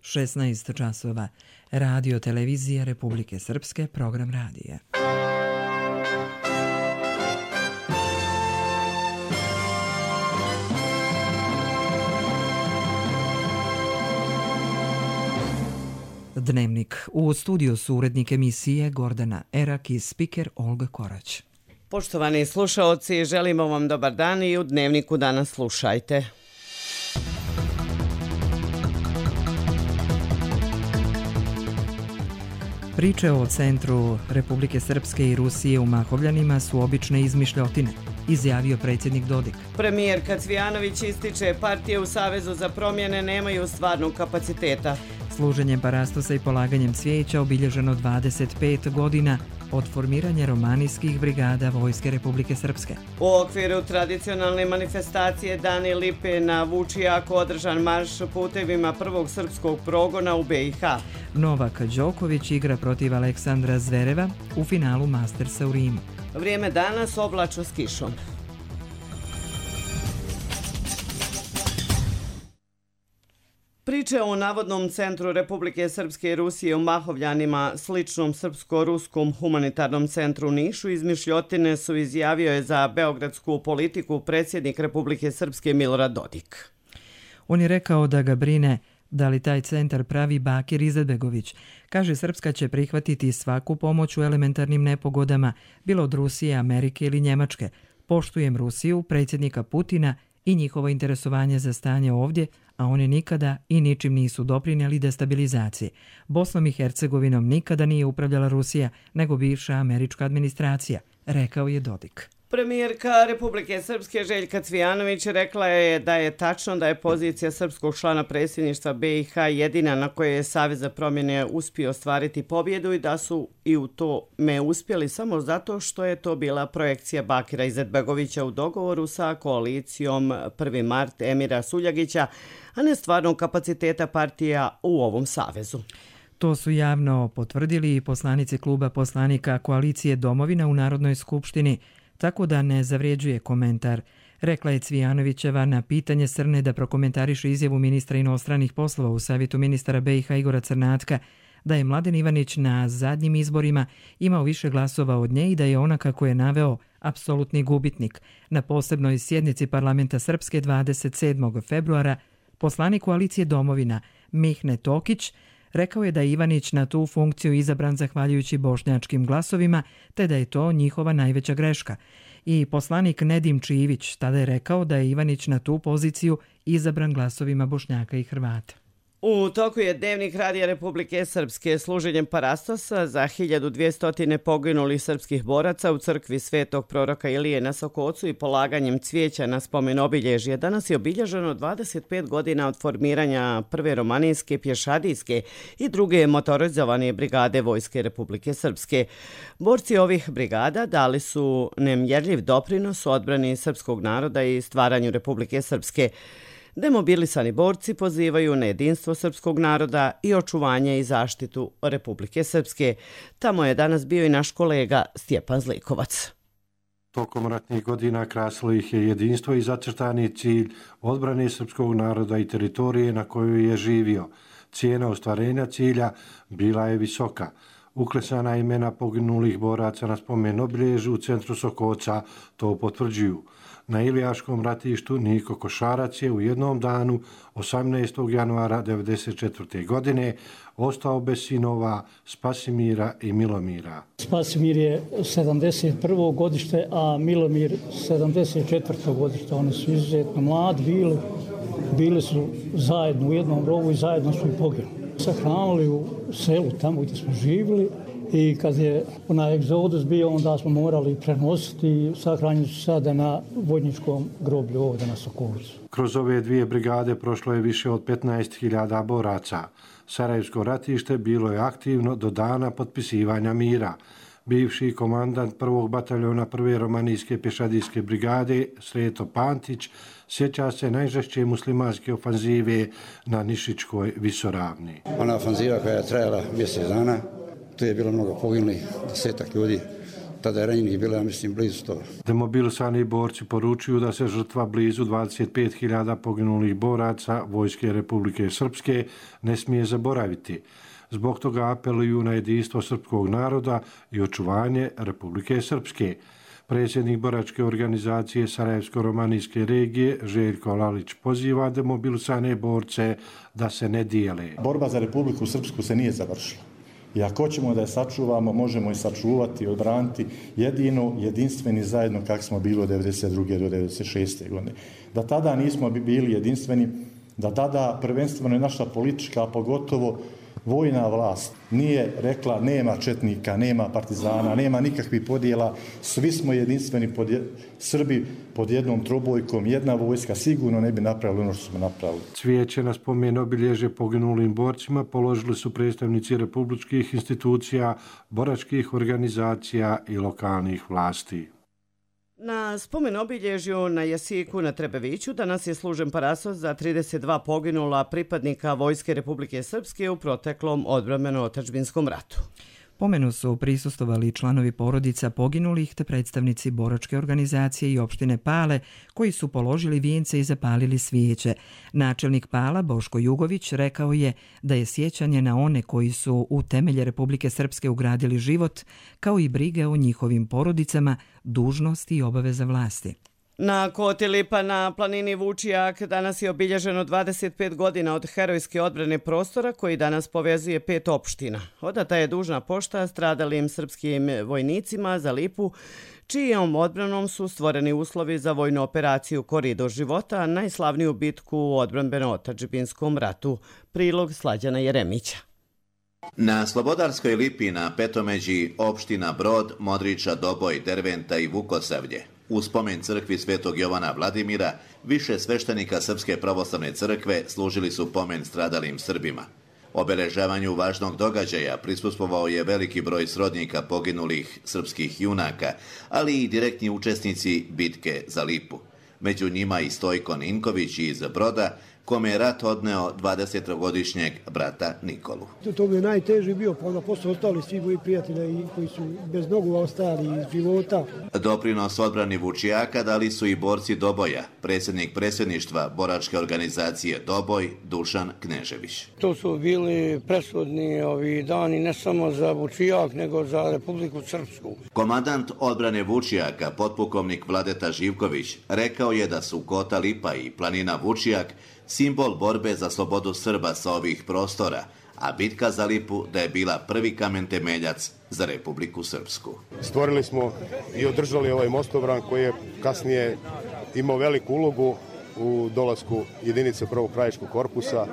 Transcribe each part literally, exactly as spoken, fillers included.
šesnaest časova. Radio Televizija Republike Srpske, program radija. Dnevnik. U studiju su urednik emisije Gordana Erak i spiker Olga Korać. Poštovani slušaoci, želimo vam dobar dan i u Dnevniku danas slušajte. Priče o centru Republike Srpske i Rusije u Mahovljanima su obične izmišljotine, izjavio predsjednik Dodik. Premijerka Cvijanović ističe partije u Savezu za promjene nemaju stvarnog kapaciteta. Služenjem parastosa i polaganjem cvijeća obilježeno dvadeset pet godina od formiranja romanijskih brigada Vojske Republike Srpske. U okviru tradicionalne manifestacije Dani Lipe na Vučijaku održan marš putevima prvog srpskog progona u be i ha. Novak Đoković igra protiv Aleksandra Zvereva u finalu Mastersa u Rimu. Vrijeme danas oblačno s kišom. Priče o navodnom centru Republike Srpske i Rusije u Mahovljanima, sličnom srpsko-ruskom humanitarnom centru u Nišu, izmišljotine su, izjavio je za beogradsku politiku predsjednik Republike Srpske Milorad Dodik. On je rekao da ga brine da li taj centar pravi Bakir Izetbegović. Kaže, Srpska će prihvatiti svaku pomoć u elementarnim nepogodama, bilo od Rusije, Amerike ili Njemačke. Poštujem Rusiju, predsjednika Putina i njihovo interesovanje za stanje ovdje, a oni nikada i ničim nisu doprinijeli destabilizaciji. Bosnom i Hercegovinom nikada nije upravljala Rusija, nego bivša američka administracija, rekao je Dodik. Premijerka Republike Srpske Željka Cvijanović rekla je da je tačno da je pozicija srpskog člana predsjedništva be i ha jedina na kojoj je Savez za promjene uspio ostvariti pobjedu i da su i u tome uspjeli samo zato što je to bila projekcija Bakira Izetbegovića u dogovoru sa koalicijom prvi mart Emira Suljagića, a ne stvarnog kapaciteta partija u ovom savezu. To su javno potvrdili i poslanici kluba poslanika koalicije Domovina u Narodnoj skupštini, tako da ne zavrijeđuje komentar, rekla je Cvijanovićeva na pitanje Srne da prokomentariše izjavu ministra inostranih poslova u savjetu ministara be i ha Igora Crnatka, da je Mladen Ivanić na zadnjim izborima imao više glasova od nje i da je ona, kako je naveo, apsolutni gubitnik. Na posebnoj sjednici parlamenta Srpske dvadeset sedmog februara poslanik koalicije Domovina Mihne Tokić rekao je da je Ivanić na tu funkciju izabran zahvaljujući bošnjačkim glasovima, te da je to njihova najveća greška. I poslanik Nedim Čivić tada je rekao da je Ivanić na tu poziciju izabran glasovima Bošnjaka i Hrvata. U toku je Dnevnik Radija Republike Srpske služenjem parastosa za hiljadu dvjesto poginulih srpskih boraca u crkvi Svetog proroka Ilije na Sokocu i polaganjem cvijeća na spomen obilježje. Danas je obilježeno dvadeset pet godina od formiranja prve romanijske, pješadijske i druge motorizovane brigade Vojske Republike Srpske. Borci ovih brigada dali su nemjerljiv doprinos odbrani srpskog naroda i stvaranju Republike Srpske. Demobilisani borci pozivaju na jedinstvo srpskog naroda i očuvanje i zaštitu Republike Srpske. Tamo je danas bio i naš kolega Stjepan Zlikovac. Tokom ratnih godina krasilo ih je jedinstvo i zacrtani cilj odbrane srpskog naroda i teritorije na kojoj je živio. Cijena ostvarenja cilja bila je visoka. Uklesana imena poginulih boraca na spomen obilježju u centru Sokoca to potvrđuju. Na Ilijaškom ratištu Niko Košarac je u jednom danu, osamnaestog januara devedeset četvrte. godine, ostao bez sinova Spasimira i Milomira. Spasimir je sedamdeset prvo. godište, a Milomir sedamdeset četvrto. godište. Oni su izuzetno mladi bili, bili su zajedno u jednom rovu i zajedno su i poginuli. Sahranili u selu tamo gdje smo živjeli. I kad je onaj egzodus bio, onda smo morali prenositi i sahranjeni su sada na vojničkom groblju ovdje na Sokolcu. Kroz ove dvije brigade prošlo je više od petnaest hiljada boraca. Sarajevsko ratište bilo je aktivno do dana potpisivanja mira. Bivši komandant prvog bataljona prve romanijske pješadijske brigade Sreto Pantić sjeća se najžešće muslimanske ofanzive na Nišičkoj visoravni. Ona ofanziva koja je trajala mjesec dana, tu je bilo mnogo poginulih, desetak ljudi tada je ranjenih bila, ja mislim, blizu sto. Demobilisani borci poručuju da se žrtva blizu dvadeset pet hiljada poginulih boraca Vojske Republike Srpske ne smije zaboraviti. Zbog toga apeluju na jedinstvo srpskog naroda i očuvanje Republike Srpske. Predsjednik boračke organizacije Sarajevsko-romanijske regije Željko Lalić poziva demobilisane borce da se ne dijele. Borba za Republiku Srpsku se nije završila. I ako ćemo da je sačuvamo, možemo i sačuvati i odbraniti jedino, jedinstveni zajedno kako smo bili od devedeset druge do devedeset šeste godine. Da tada nismo bili jedinstveni, da tada prvenstveno je naša politička, a pogotovo vojna vlast nije rekla nema četnika, nema partizana, nema nikakvih podjela, svi smo jedinstveni pod je, Srbi pod jednom trobojkom, jedna vojska sigurno ne bi napravili ono što smo napravili. Cvijeće na spomen obilježje poginulim borcima položili su predstavnici republičkih institucija, boračkih organizacija i lokalnih vlasti. Na spomen obilježju na Jasiku na Trebeviću danas je služen parasos za trideset dva poginula pripadnika Vojske Republike Srpske u proteklom odbrambeno-otadžbinskom ratu. Pomenu su prisustvovali članovi porodica poginulih te predstavnici boračke organizacije i opštine Pale koji su položili vijence i zapalili svijeće. Načelnik Pala Boško Jugović rekao je da je sjećanje na one koji su u temelje Republike Srpske ugradili život, kao i brige o njihovim porodicama, dužnost i obaveza vlasti. Na Koti Lipa na planini Vučijak danas je obilježeno dvadeset pet godina od herojske odbrane prostora koji danas povezuje pet opština. Odata je dužna pošta stradalim srpskim vojnicima za Lipu, čijom odbranom su stvoreni uslovi za vojnu operaciju Koridor života, najslavniju bitku u odbrambeno-otadžbinskom ratu. Prilog Slađana Jeremića. Na Slobodarskoj Lipi na Petomeđi opština Brod, Modriča, Doboj, Derventa i Vukosavlje u spomen crkvi Svetog Jovana Vladimira više sveštenika Srpske pravoslavne crkve služili su pomen stradalim Srbima. Obeležavanju važnog događaja prisustvovao je veliki broj srodnika poginulih srpskih junaka, ali i direktni učesnici bitke za Lipu. Među njima i Stojko Ninković iz Broda, kome je rat odneo dvadesetogodišnjeg brata Nikolu. To mi je najteži bio, pa onda posle ostali svi moji prijatelji koji su bez nogu ostali iz života. Doprinos odbrani Vučijaka dali su i borci Doboja, predsjednik predsjedništva boračke organizacije Doboj Dušan Knežević. To su bili presudni ovi dani ne samo za Vučijak, nego za Republiku Srpsku. Komandant odbrane Vučijaka, potpukovnik Vladeta Živković, rekao je da su Kota Lipa i planina Vučijak simbol borbe za slobodu Srba sa ovih prostora, a bitka za Lipu da je bila prvi kamen temeljac za Republiku Srpsku. Stvorili smo i održali ovaj mostobran koji je kasnije imao veliku ulogu u dolasku jedinice prvog krajiškog korpusa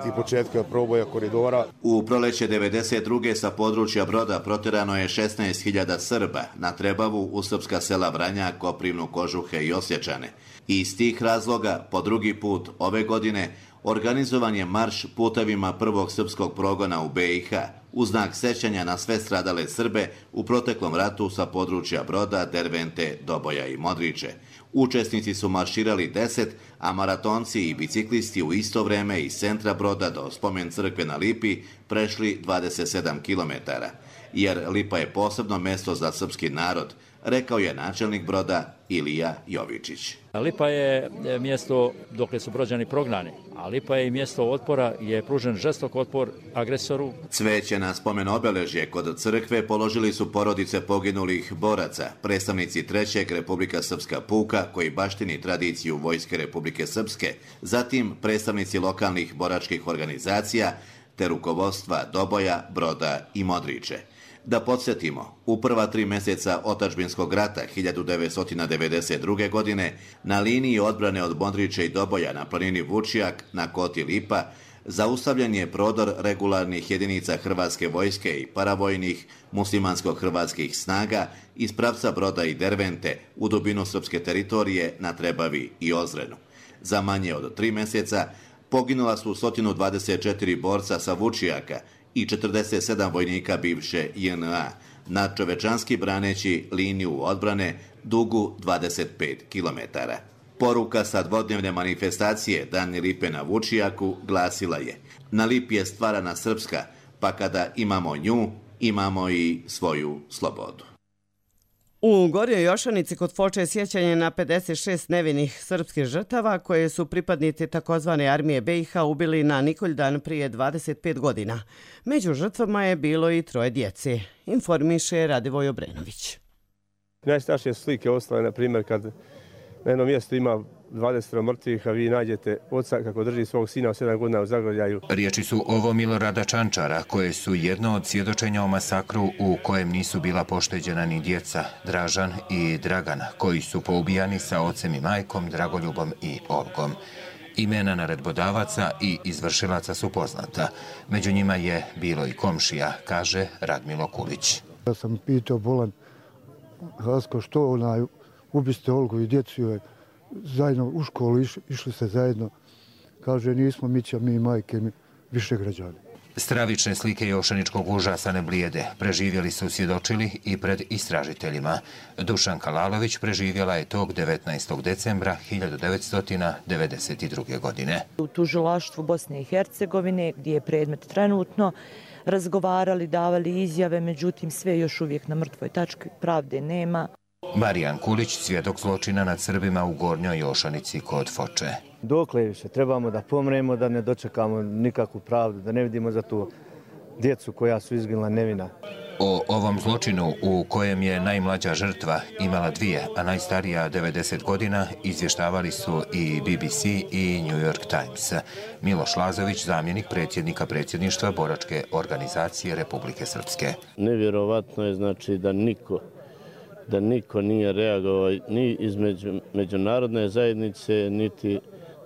i početka proboja koridora. U proleće devedeset druge sa područja Broda proterano je šesnaest hiljada Srba na Trebavu u srpska sela Vranja, Koprivnu, Kožuhe i Osječane. I iz tih razloga po drugi put ove godine organizovan je marš putevima prvog srpskog progona u be i ha u znak sećanja na sve stradale Srbe u proteklom ratu sa područja Broda, Dervente, Doboja i Modriče. Učesnici su marširali deset, a maratonci i biciklisti u isto vreme iz centra Broda do spomen crkve na Lipi prešli dvadeset sedam kilometara. Jer Lipa je posebno mesto za srpski narod, rekao je načelnik Broda Ilija Jovičić. Lipa je mjesto dokle su Brođani prognani, a Lipa je i mjesto otpora, je pružen žestok otpor agresoru. Cveće na spomen obeležje kod crkve položili su porodice poginulih boraca, predstavnici trećeg Republika Srpska puka koji baštini tradiciju Vojske Republike Srpske, zatim predstavnici lokalnih boračkih organizacija te rukovodstva Doboja, Broda i Modriče. Da podsjetimo, u prva tri mjeseca otadžbinskog rata hiljadu devetsto devedeset druge. godine na liniji odbrane od Modriče i Doboja na planini Vučijak na Koti Lipa zaustavljen je prodor regularnih jedinica Hrvatske vojske i paravojnih muslimansko-hrvatskih snaga iz pravca Broda i Dervente u dubinu srpske teritorije na Trebavi i Ozrenu. Za manje od tri mjeseca poginula su sto dvadeset četiri borca sa Vučijaka i četrdeset sedam vojnika bivše je en a, nadčovečanski braneći liniju odbrane dugu dvadeset pet kilometara. Poruka sa dvodnevne manifestacije Dani Lipe na Vučijaku glasila je: na Lipi je stvarana srpska, pa kada imamo nju, imamo i svoju slobodu. U Gornjoj Jošanici kod Foče je sjećanje na pedeset šest nevinih srpskih žrtava koje su pripadnici takozvane armije B i H ubili na Nikoljdan prije dvadeset pet godina. Među žrtvama je bilo i troje djece, informiše Radivoj Obrenović. Najstrašnije slike ostale, na primjer, kad na jednom mjestu ima dvadeset mrtvih, a vi nađete oca kako drži svog sina od sedam godina u zagrljaju. Riječi su ovo Milorada Čančara, koje su jedno od svjedočenja o masakru u kojem nisu bila pošteđena ni djeca, Dražan i Dragana, koji su poubijani sa ocem i majkom, Dragoljubom i Olgom. Imena naredbodavaca i izvršilaca su poznata. Među njima je bilo i komšija, kaže Radmilo Kulić. Ja sam pitao bolan Hasko što onaj ubiste Olgu i djecu joj zajedno u školu iš, išli ste zajedno. Kaže nismo Mića, mi majke, mi više građani. Stravične slike jošaničkog užasa ne blijede. Preživjeli su svjedočili i pred istražiteljima. Dušanka Lalović preživjela je tog devetnaestog decembra hiljadu devetsto devedeset druge. godine. U tužilaštvu Bosne i Hercegovine, gdje je predmet trenutno, razgovarali, davali izjave, međutim sve još uvijek na mrtvoj tački, pravde nema. Marijan Kulić, svjedok zločina nad Srbima u Gornjoj Jošanici kod Foče. Dokle više trebamo da pomremo, da ne dočekamo nikakvu pravdu, da ne vidimo za tu djecu koja su izginula nevina. O ovom zločinu u kojem je najmlađa žrtva imala dvije, a najstarija devedeset godina, izvještavali su i B B C i New York Times. Miloš Lazović, zamjenik predsjednika predsjedništva Boračke organizacije Republike Srpske. Nevjerovatno je znači da niko da niko nije reagovao ni između međunarodne zajednice, niti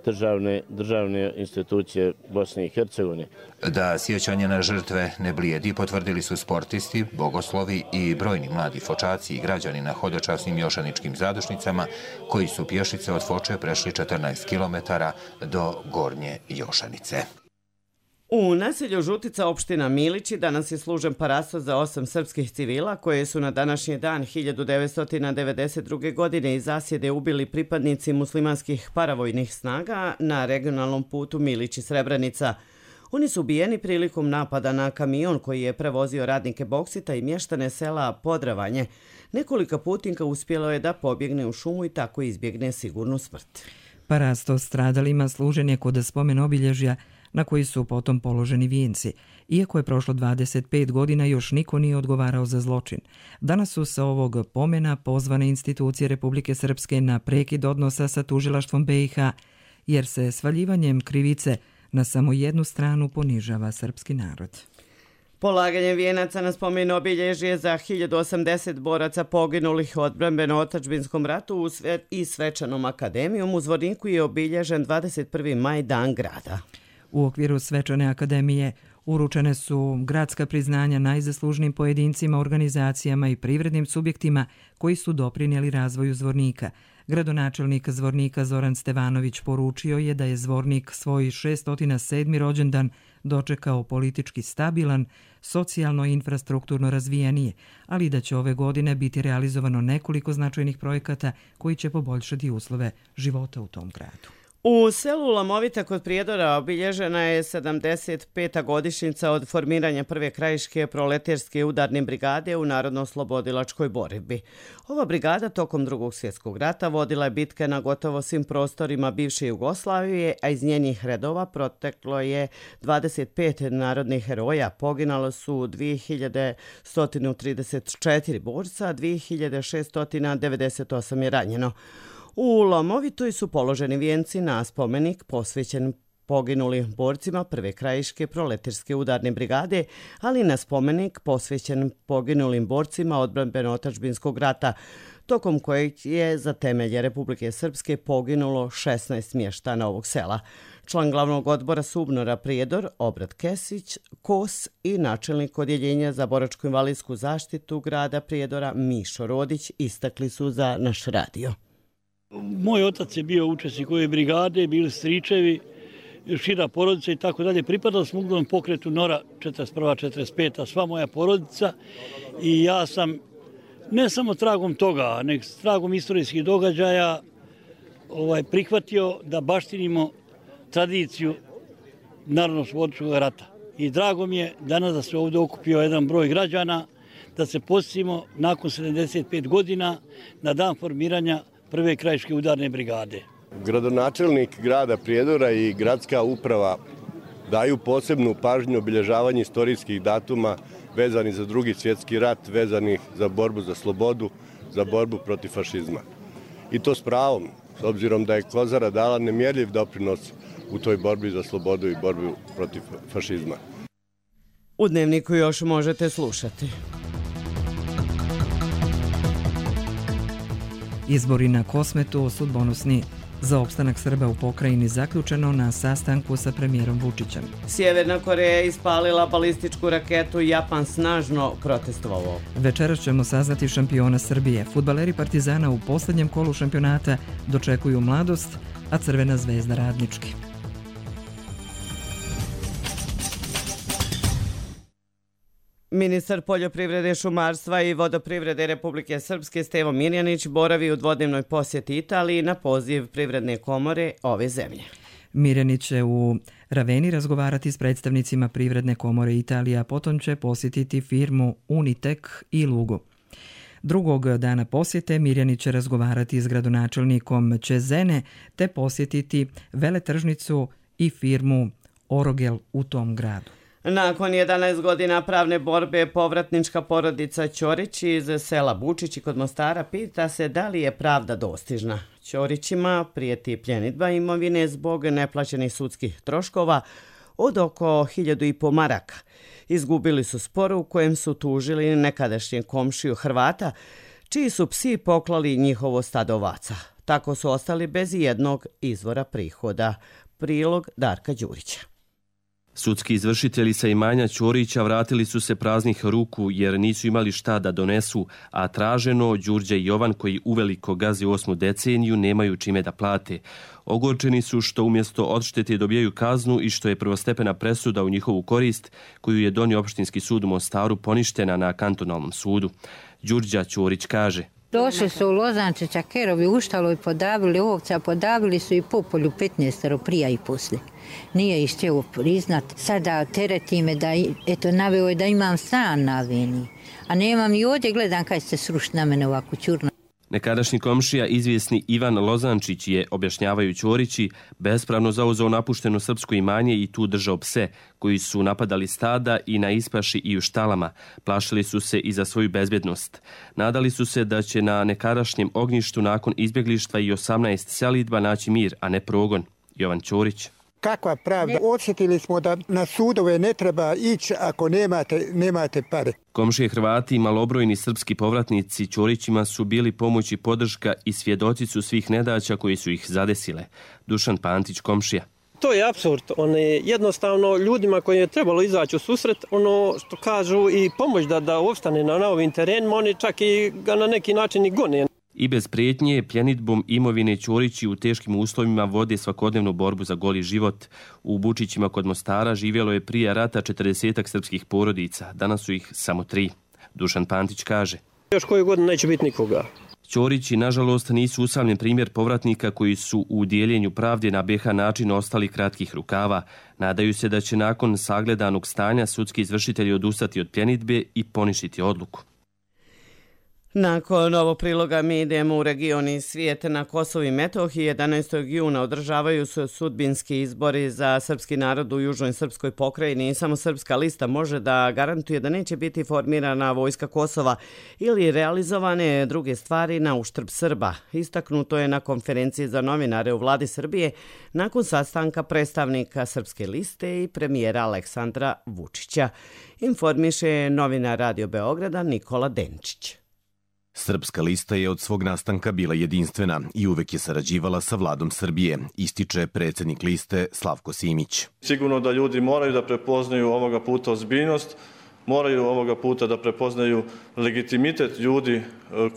državne, državne institucije Bosne i Hercegovine. Da sjećanje na žrtve ne blijedi, potvrdili su sportisti, bogoslovi i brojni mladi fočaci i građani na hodočasnim jošaničkim zadušnicama, koji su pješice od Foče prešli četrnaest kilometara do Gornje Jošanice. U naselju Žutica, opština Milići, danas je služen parastos za osam srpskih civila koje su na današnji dan hiljadu devetsto devedeset druge. godine iz zasjede ubili pripadnici muslimanskih paravojnih snaga na regionalnom putu Milići-Srebrenica. Oni su ubijeni prilikom napada na kamion koji je prevozio radnike Boksita i mještane sela Podravanje. Nekoliko putnika uspjelo je da pobjegne u šumu i tako izbjegne sigurnu smrt. Parastos stradalima služen je kod spomen obilježja na koji su potom položeni vijenci. Iako je prošlo dvadeset pet godina, još niko nije odgovarao za zločin. Danas su sa ovog pomena pozvane institucije Republike Srpske na prekid odnosa sa tužilaštvom B i H, jer se svaljivanjem krivice na samo jednu stranu ponižava srpski narod. Polaganjem vijenaca na spomen obilježje za hiljadu osamdeset boraca poginulih u odbrambeno-otadžbinskom ratu i svečanom akademijom u Zvorniku je obilježen dvadeset prvi maj, dan grada. U okviru svečane akademije uručene su gradska priznanja najzaslužnijim pojedincima, organizacijama i privrednim subjektima koji su doprinijeli razvoju Zvornika. Gradonačelnik Zvornika Zoran Stevanović poručio je da je Zvornik svoj šesto sedmi rođendan dočekao politički stabilan, socijalno i infrastrukturno razvijenije, ali da će ove godine biti realizovano nekoliko značajnih projekata koji će poboljšati uslove života u tom gradu. U selu Lamovita kod Prijedora obilježena je sedamdeset peta godišnjica od formiranja prve krajiške proleterske udarne brigade u Narodno-oslobodilačkoj borbi. Ova brigada tokom Drugog svjetskog rata vodila je bitke na gotovo svim prostorima bivše Jugoslavije, a iz njenih redova proteklo je dvadeset pet narodnih heroja. Poginalo su dvije hiljade sto trideset četiri borca, dvije hiljade šesto devedeset osam je ranjeno. U Lomovitoj su položeni vijenci na spomenik posvećen poginulim borcima prve krajiške proleterske udarne brigade, ali na spomenik posvećen poginulim borcima odbrambeno-otadžbinskog rata, tokom kojeg je za temelje Republike Srpske poginulo šesnaest mještana ovog sela. Član glavnog odbora Subnora Prijedor, Obrat Kesić, Kos i načelnik odjeljenja za boračko-invalidsku zaštitu grada Prijedora, Mišo Rodić, istakli su za naš radio. Moj otac je bio učesnik ove brigade, bili stričevi, šira porodica i tako dalje. Pripadao sam uglavnom pokretu Nora četrdeset prva četrdeset peta, sva moja porodica, i ja sam ne samo tragom toga, nego tragom istorijskih događaja ovaj, prihvatio da baštinimo tradiciju Narodno-oslobodilačkog rata. I drago mi je danas da se ovdje okupio jedan broj građana, da se posjetimo nakon sedamdeset pet godina na dan formiranja prve krajiške udarne brigade. Gradonačelnik grada Prijedora i gradska uprava daju posebnu pažnju obilježavanju istorijskih datuma vezani za drugi svjetski rat, vezanih za borbu za slobodu, za borbu protiv fašizma. I to s pravom, s obzirom da je Kozara dala nemjerljiv doprinos u toj borbi za slobodu i borbi protiv fašizma. U Dnevniku još možete slušati. Izbori na Kosmetu sudbonosni. Za opstanak Srba u pokrajini zaključeno na sastanku sa premijerom Vučićem. Sjeverna Koreja ispalila balističku raketu, Japan snažno protestovao. Večeras ćemo saznati šampiona Srbije. Fudbaleri Partizana u posljednjem kolu šampionata dočekuju Mladost, a Crvena zvezda Radnički. Ministar poljoprivrede, šumarstva i vodoprivrede Republike Srpske Stevo Mirjanić boravi u dvodnevnoj posjeti Italiji na poziv Privredne komore ove zemlje. Mirjanić će u Raveni razgovarati s predstavnicima Privredne komore Italije, a potom će posjetiti firmu Unitek i Lugu. Drugog dana posjete Mirjanić će razgovarati s gradonačelnikom Cezene te posjetiti veletržnicu i firmu Orogel u tom gradu. Nakon jedanaest godina pravne borbe, povratnička porodica Ćorić iz sela Bučići kod Mostara pita se da li je pravda dostižna. Ćorićima prijeti pljenidba imovine zbog neplaćenih sudskih troškova od oko hiljadu i po maraka. Izgubili su spor u kojem su tužili nekadašnje komšiju Hrvata, čiji su psi poklali njihovo stado ovaca. Tako su ostali bez jednog izvora prihoda. Prilog Darka Đurića. Sudski izvršitelji sa imanja Ćorića vratili su se praznih ruku jer nisu imali šta da donesu, a traženo Đurđe i Jovan, koji uveliko gaze osmu deceniju, nemaju čime da plate. Ogorčeni su što umjesto odštete dobijaju kaznu i što je prvostepena presuda u njihovu korist, koju je donio opštinski sud u Mostaru, poništena na kantonalnom sudu. Đurđa Ćorić kaže: Došli su u Lozančića kerovi, uštalo i podavili ovca, podavili su i popolju petnaestero prija i poslije. Nije ih htjelo priznat. Sada tereti me da, eto, naveo je da imam stan na Aveni. A nemam i ovdje, gledam kaj se srušiti na mene ovako čurno. Nekadašnji komšija, izvjesni Ivan Lozančić, je, objašnjavaju Ćorići, bespravno zauzeo napušteno srpsko imanje i tu držao pse, koji su napadali stada i na ispaši i u štalama. Plašili su se i za svoju bezbjednost. Nadali su se da će na nekadašnjem ognjištu nakon izbjeglištva i osamnaest selidba naći mir, a ne progon. Jovan Ćorić. Kakva pravda? Osjetili smo da na sudove ne treba ići ako nemate, nemate pare. Komšije Hrvati i malobrojni srpski povratnici Ćorićima su bili pomoć i podrška i svjedoci su svih nedaća koji su ih zadesile. Dušan Pantić, komšija. To je apsurd. One, jednostavno ljudima koji je trebalo izaći u susret, ono što kažu i pomoć da, da opstane na novim terenima, oni čak i ga na neki način i gone. I bez prijetnje, pljenidbom imovine Ćorići u teškim uslovima vode svakodnevnu borbu za goli život. U Bučićima kod Mostara živjelo je prije rata četrdesetak srpskih porodica, danas su ih samo tri. Dušan Pantić kaže: Još koju godinu neće biti nikoga. Ćorići, nažalost, nisu usamljen primjer povratnika koji su u dijeljenju pravde na be ha način ostali kratkih rukava. Nadaju se da će nakon sagledanog stanja sudski izvršitelji odustati od pljenidbe i poništiti odluku. Nakon ovog priloga mi idemo u region i svijet. Na Kosovu i Metohiji jedanaestog juna održavaju se sudbinski izbori za srpski narod u južnoj srpskoj pokrajini i samo Srpska lista može da garantuje da neće biti formirana vojska Kosova ili realizovane druge stvari na uštrb Srba. Istaknuto je na konferenciji za novinare u vladi Srbije nakon sastanka predstavnika Srpske liste i premijera Aleksandra Vučića. Informiše novinar Radio Beograda Nikola Denčić. Srpska lista je od svog nastanka bila jedinstvena i uvek je sarađivala sa vladom Srbije, ističe predsjednik liste Slavko Simić. Sigurno da ljudi moraju da prepoznaju ovoga puta ozbiljnost, moraju ovoga puta da prepoznaju legitimitet ljudi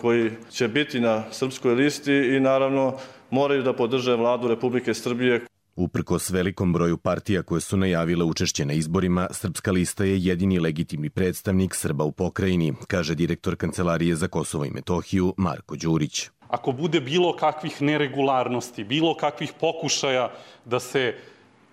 koji će biti na srpskoj listi i naravno moraju da podrže vladu Republike Srbije. Uprkos velikom broju partija koje su najavile učešće na izborima, Srpska lista je jedini legitimni predstavnik Srba u pokrajini, kaže direktor Kancelarije za Kosovo i Metohiju Marko Đurić. Ako bude bilo kakvih neregularnosti, bilo kakvih pokušaja da se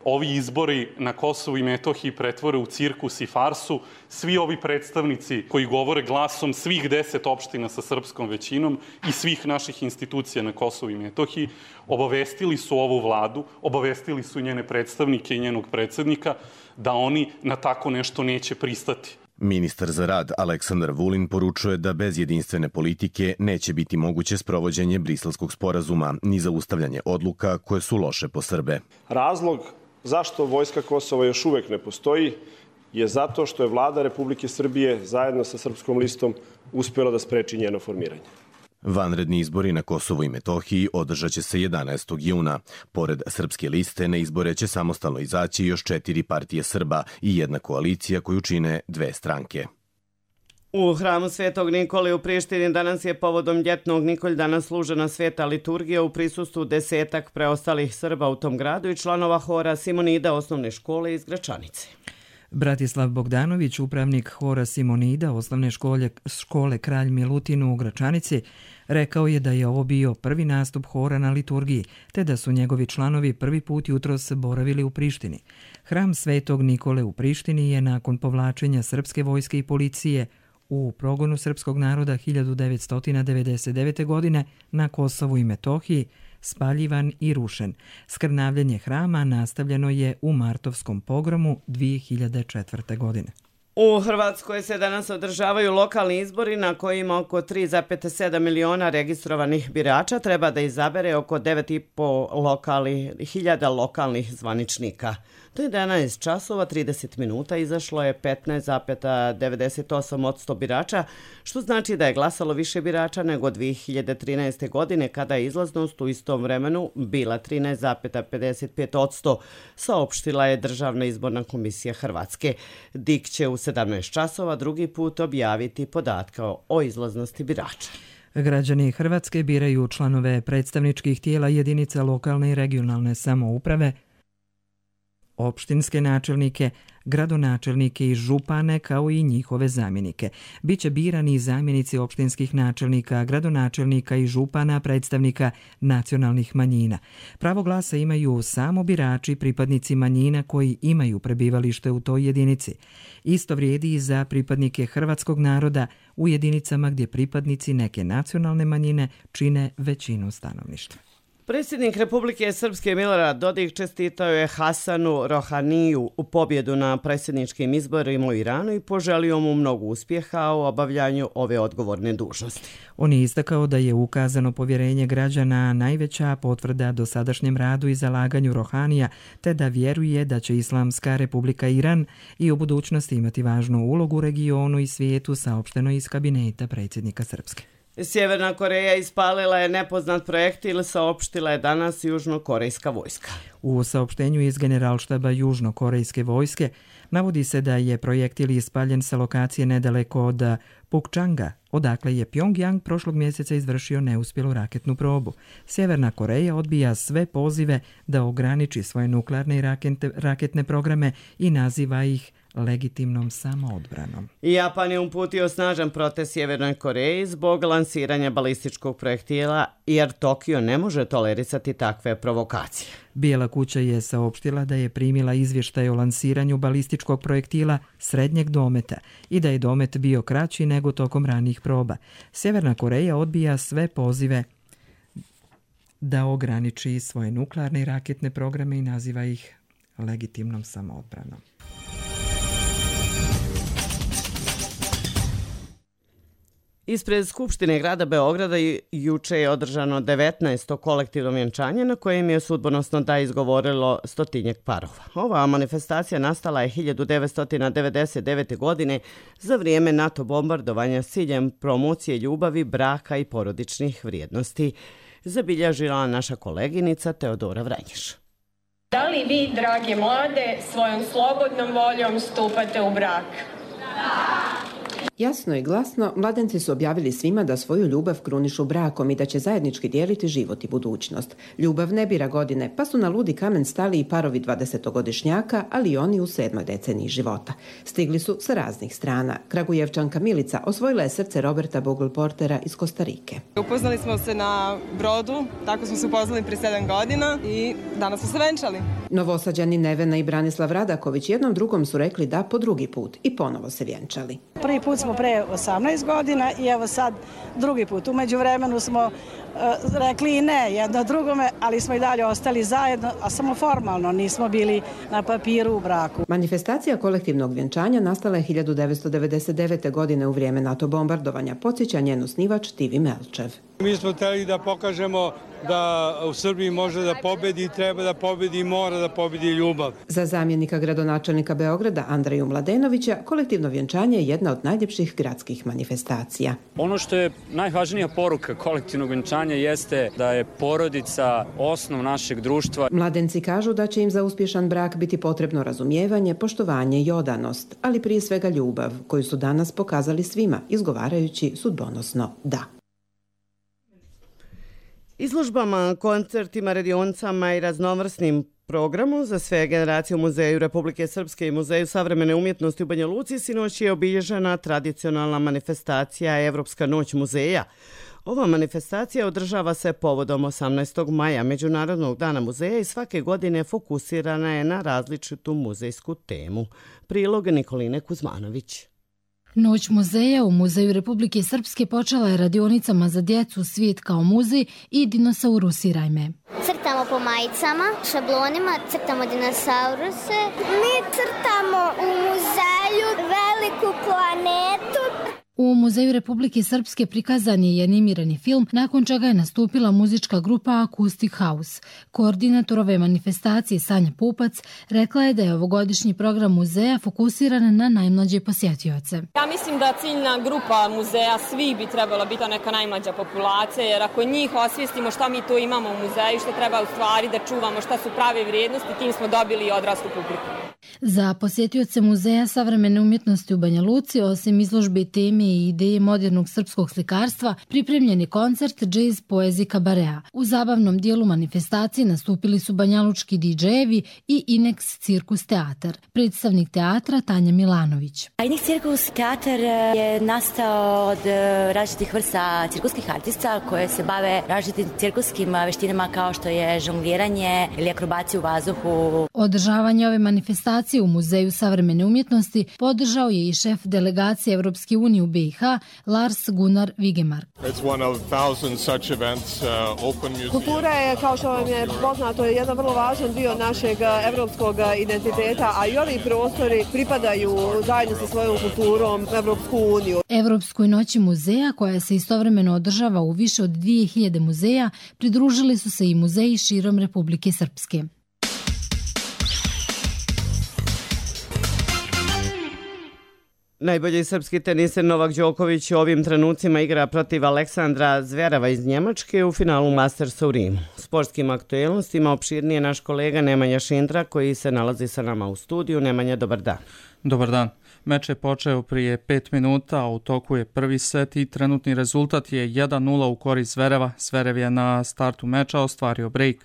ovi izbori na Kosovu i Metohiji pretvore u cirkus i farsu. Svi ovi predstavnici koji govore glasom svih deset opština sa srpskom većinom i svih naših institucija na Kosovu i Metohiji obavestili su ovu vladu, obavestili su njene predstavnike i njenog predsednika da oni na tako nešto neće pristati. Ministar za rad Aleksandar Vulin poručuje da bez jedinstvene politike neće biti moguće sprovođenje Briselskog sporazuma ni zaustavljanje odluka koje su loše po Srbe. Razlog zašto Vojska Kosova još uvek ne postoji je zato što je vlada Republike Srbije zajedno sa Srpskom listom uspjela da spreči njeno formiranje. Vanredni izbori na Kosovu i Metohiji održat će se jedanaestog juna. Pored Srpske liste na izbore će samostalno izaći još četiri partije Srba i jedna koalicija koju čine dve stranke. U hramu Svetog Nikole u Prištini danas je povodom ljetnog Nikoldana služena sveta liturgija u prisustvu desetak preostalih Srba u tom gradu i članova hora Simonida osnovne škole iz Gračanice. Bratislav Bogdanović, upravnik hora Simonida osnovne škole, škole Kralj Milutin u Gračanici, rekao je da je ovo bio prvi nastup hora na liturgiji, te da su njegovi članovi prvi put jutros boravili u Prištini. Hram Svetog Nikole u Prištini je nakon povlačenja srpske vojske i policije u progonu srpskog naroda hiljadu devetsto devedeset devete. godine na Kosovu i Metohiji spaljivan i rušen. Skrnavljenje hrama nastavljeno je u martovskom pogromu dvije hiljade četvrte. godine. U Hrvatskoj se danas održavaju lokalni izbori na kojima oko tri zarez sedam miliona registrovanih birača treba da izabere oko devet i po hiljada lokalnih zvaničnika. Do jedanaest časova trideset minuta izašlo je petnaest zarez devedeset osam posto birača, što znači da je glasalo više birača nego dvije hiljade trinaeste. godine kada je izlaznost u istom vremenu bila trinaest zarez pedeset pet posto, saopštila je Državna izborna komisija Hrvatske. D I K će u sedamnaest časova drugi put objaviti podatke o izlaznosti birača. Građani Hrvatske biraju članove predstavničkih tijela jedinica lokalne i regionalne samouprave, opštinske načelnike, gradonačelnike i župane kao i njihove zamjenike. Biće birani i zamjenici opštinskih načelnika, gradonačelnika i župana predstavnika nacionalnih manjina. Pravo glasa imaju samo birači pripadnici manjina koji imaju prebivalište u toj jedinici. Isto vrijedi i za pripadnike hrvatskog naroda u jedinicama gdje pripadnici neke nacionalne manjine čine većinu stanovništva. Predsjednik Republike Srpske Milorad Dodik čestitao je Hasanu Rohaniju u pobjedu na predsjedničkim izborima u Iranu i poželio mu mnogo uspjeha u obavljanju ove odgovorne dužnosti. On je istakao da je ukazano povjerenje građana najveća potvrda dosadašnjem radu i zalaganju Rohanija, te da vjeruje da će Islamska Republika Iran i u budućnosti imati važnu ulogu u regionu i svijetu, saopšteno iz kabineta predsjednika Srpske. Sjeverna Koreja ispalila je nepoznat projektil, saopštila je danas južnokorejska vojska. U saopštenju iz Generalštaba južnokorejske vojske navodi se da je projektil ispaljen sa lokacije nedaleko od Pukčanga, odakle je Pjongjang prošlog mjeseca izvršio neuspjelu raketnu probu. Sjeverna Koreja odbija sve pozive da ograniči svoje nuklearne i raketne programe i naziva ih legitimnom samoodbranom. Japan je uputio snažan protest Sjevernoj Koreji zbog lansiranja balističkog projektila, jer Tokio ne može tolerisati takve provokacije. Bijela kuća je saopštila da je primila izvještaj o lansiranju balističkog projektila srednjeg dometa i da je domet bio kraći nego tokom ranijih proba. Sjeverna Koreja odbija sve pozive da ograniči svoje nuklearne i raketne programe i naziva ih legitimnom samoodbranom. Ispred Skupštine grada Beograda juče je održano devetnaesto kolektivno vjenčanje na kojem je sudbonosno da izgovorilo stotinjak parova. Ova manifestacija nastala je hiljadu devetsto devedeset devete. godine za vrijeme NATO bombardovanja s ciljem promocije ljubavi, braka i porodičnih vrijednosti, zabilježila naša koleginica Teodora Vranješ. Da li vi, drage mlade, svojom slobodnom voljom stupate u brak? Da! Jasno i glasno, mladenci su objavili svima da svoju ljubav krunišu brakom i da će zajednički dijeliti život i budućnost. Ljubav ne bira godine, pa su na ludi kamen stali i parovi dvadesetogodišnjaka, ali i oni u sedmoj deceniji života. Stigli su sa raznih strana. Kragujevčanka Milica osvojila je srce Roberta Bogle-Portera iz Kostarike. Upoznali smo se na brodu, tako smo se upoznali pre sedam godina i danas smo se venčali. Novosađani Nevena i Branislav Radaković jednom drugom su rekli da po drugi put i ponovo se vjenčali. Prvi put smo pre osamnaest godina i evo sad drugi put. Umeđu vremenu smo uh, rekli i ne jedno drugome, ali smo i dalje ostali zajedno, a samo formalno nismo bili na papiru u braku. Manifestacija kolektivnog vjenčanja nastala je hiljadu devetsto devedeset devete. godine u vrijeme NATO bombardovanja, podsjeća njen osnivač Tivi Melčev. Mi smo htjeli da pokažemo da u Srbiji može da pobedi, treba da pobedi i mora da pobedi ljubav. Za zamjenika gradonačelnika Beograda Andreju Mladenovića kolektivno vjenčanje je jedna od najljepših gradskih manifestacija. Ono što je najvažnija poruka kolektivnog vjenčanja jeste da je porodica osnov našeg društva. Mladenci kažu da će im za uspješan brak biti potrebno razumijevanje, poštovanje i odanost, ali prije svega ljubav, koju su danas pokazali svima, izgovarajući sudbonosno da. Izložbama, koncertima, radionicama i raznovrsnim programom za sve generacije u Muzeju Republike Srpske i Muzeju savremene umjetnosti u Banja Luci sinoć je obilježena tradicionalna manifestacija Evropska noć muzeja. Ova manifestacija održava se povodom osamnaestog maja, Međunarodnog dana muzeja, i svake godine fokusirana je na različitu muzejsku temu. Prilog Nikoline Kuzmanović. Noć muzeja u Muzeju Republike Srpske počela je radionicama za djecu Svijet kao muzej i Dinosaurusiraj me. Crtamo po majicama, šablonima, crtamo dinosauruse. Mi crtamo u muzeju veliku planetu. U Muzeju Republike Srpske prikazan je i animirani film, nakon čega je nastupila muzička grupa Acoustic House. Koordinator ove manifestacije Sanja Pupac rekla je da je ovogodišnji program muzeja fokusiran na najmlađe posjetioce. Ja mislim da ciljna grupa muzeja svi bi trebala biti neka najmlađa populacija, jer ako njih osvijestimo šta mi to imamo u muzeju, što treba u stvari da čuvamo, šta su prave vrijednosti, tim smo dobili i odraslu publiku. Za posjetioce Muzeja savremene umjetnosti u Banja Luci, osim izložbe teme i ideje modernog srpskog slikarstva, pripremljen je koncert Jazz poezije Kabarea. U zabavnom dijelu manifestacije nastupili su banjalučki didžejevi i Inex Cirkus teatar. Predstavnik teatra Tanja Milanović. Inex Cirkus teatar je nastao od različitih vrsta cirkuskih artista koje se bave različitim cirkuskim veštinama kao što je žongliranje ili akrobacija u vazduhu. Održavanje ove manifestacije u Muzeju savremene umjetnosti podržao je i šef delegacije Evropske unije u B i H Lars Gunnar Vigemark. Kultura je, kao što vam je poznato, jedan vrlo važan dio našeg evropskog identiteta, a i ovi prostori pripadaju zajedno sa svojom kulturom Evropsku uniju. Evropskoj noći muzeja, koja se istovremeno održava u više od dvije hiljade muzeja, pridružili su se i muzeji širom Republike Srpske. Najbolji srpski teniser Novak Đoković u ovim trenucima igra protiv Aleksandra Zverava iz Njemačke u finalu Mastersa u Rimu. Sportskim aktuelnostima opširnije naš kolega Nemanja Šindra, koji se nalazi sa nama u studiju. Nemanja, dobar dan. Dobar dan. Meč je počeo prije pet minuta, a u toku je prvi set i trenutni rezultat je jedan nula u korist Zvereva. Zverev je na startu meča ostvario break.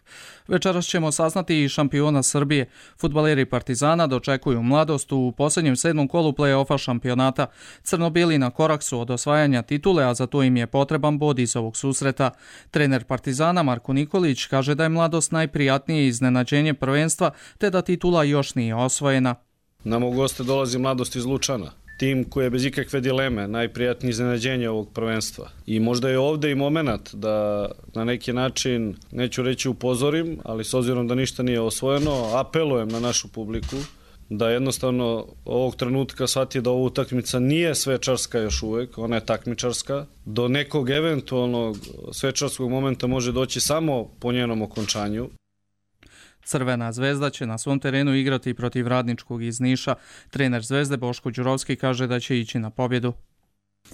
Večeras ćemo saznati i šampiona Srbije. Fudbaleri Partizana dočekuju Mladost u posljednjem sedmom kolu play-offa šampionata. Crnobili na korak su od osvajanja titule, a za to im je potreban bod iz ovog susreta. Trener Partizana Marko Nikolić kaže da je Mladost najprijatnije iznenađenje prvenstva, te da titula još nije osvojena. Nam u goste dolazi Mladost iz Lučana. Tim koji je bez ikakve dileme najprijatnije iznenađenje ovog prvenstva. I možda je ovdje i moment da na neki način, neću reći upozorim, ali s obzirom da ništa nije osvojeno, apelujem na našu publiku da jednostavno ovog trenutka shvati da ova utakmica nije svečarska još uvek, ona je takmičarska. Do nekog eventualnog svečarskog momenta može doći samo po njenom okončanju. Crvena zvezda će na svom terenu igrati protiv Radničkog iz Niša. Trener Zvezde Boško Đurovski kaže da će ići na pobjedu.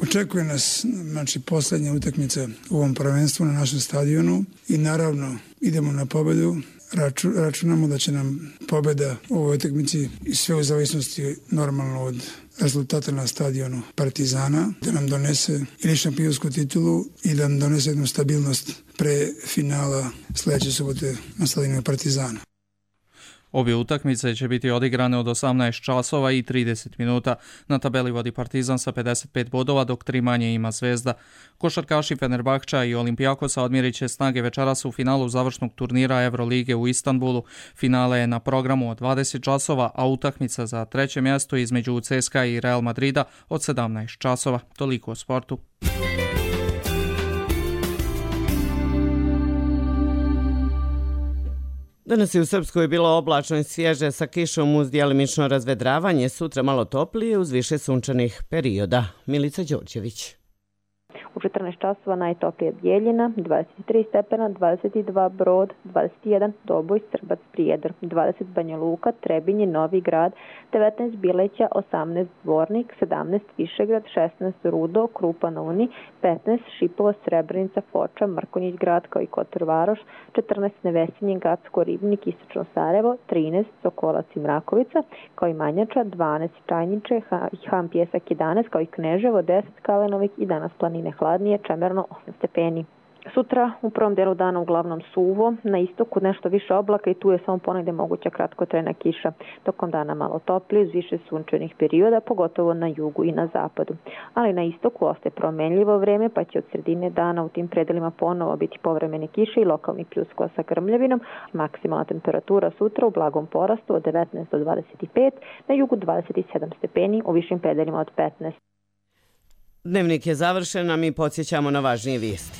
Očekuje nas znači, posljednja utakmica u ovom prvenstvu na našem stadionu i naravno idemo na pobjedu. Raču, računamo da će nam pobjeda u ovoj utakmici i sve u zavisnosti normalno od rezultata na stadionu Partizana, da nam donese ili šampionsku titulu i da nam donese jednu stabilnost pre finala sljedeće subote na stadionu Partizana. Obje utakmice će biti odigrane od osamnaest časova i trideset minuta. Na tabeli vodi Partizan sa pedeset pet bodova, dok tri manje ima Zvezda. Košarkaši Fenerbahča i Olimpijakosa odmjerit će snage večeras u finalu završnog turnira Evrolige u Istanbulu. Finale je na programu od dvadeset časova, a utakmica za treće mjesto između C S K A i Real Madrida od sedamnaest časova. Toliko o sportu. Danas je u Srpskoj bilo oblačno i svježe sa kišom uz djelimično razvedravanje, sutra malo toplije uz više sunčanih perioda. Milica Đorđević. U četrnaest časova najtoplije Bjeljina, dvadeset tri stepena, dvadeset dva Brod, dvadeset jedan Doboj, Srbac, Prijedor, dvadeset Banja Luka, Trebinje, Novi Grad, devetnaest Bileća, osamnaest Dvornik, sedamnaest Višegrad, šesnaest Rudo, Krupa na Uni, petnaest Šipovo, Srebrenica, Foča, Mrkonjić Grad kao i Kotor Varoš, četrnaest Nevesinje, Gacko, Ribnik, Istočno Sarajevo, trinaest Sokolac i Mrakovica kao i Manjača, dvanaest Čajniče, Han Pjesak jedanaest kao i Kneževo, deset Kalenovik i danas planine hladnije, čemerno osam stepeni. Sutra u prvom delu dana uglavnom suvo, na istoku nešto više oblaka i tu je samo ponegde moguća kratkotrajna kiša. Tokom dana malo toplije, uz više sunčanih perioda, pogotovo na jugu i na zapadu. Ali na istoku ostaje promenljivo vreme, pa će od sredine dana u tim predelima ponovo biti povremene kiše i lokalni pljuskova sa grmljavinom. Maksimalna temperatura sutra u blagom porastu od devetnaest do dvadeset pet, na jugu dvadeset sedam stepeni, u višim predelima od petnaest. Dnevnik je završen, a mi podsjećamo na važnije vijesti.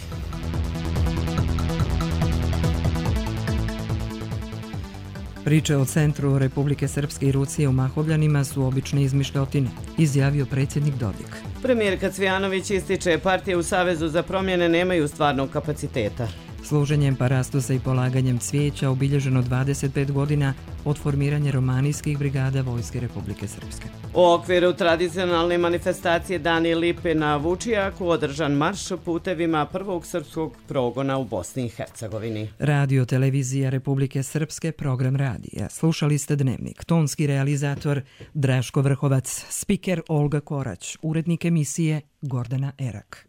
Priče o centru Republike Srpske i Rusije u Mahovljanima su obične izmišljotine, izjavio predsjednik Dodik. Premijerka Cvijanović ističe partije u Savezu za promjene nemaju stvarnog kapaciteta. Služenjem parastosa i polaganjem cvijeća obilježeno dvadeset pet godina od formiranja romanijskih brigada Vojske Republike Srpske. U okviru tradicionalne manifestacije Dani Lipe na Vučijaku održan marš putevima prvog srpskog progona u Bosni i Hercegovini. Radio televizija Republike Srpske, program radija. Slušali ste Dnevnik. Tonski realizator Draško Vrhovac, spiker Olga Korać, urednik emisije Gordana Erak.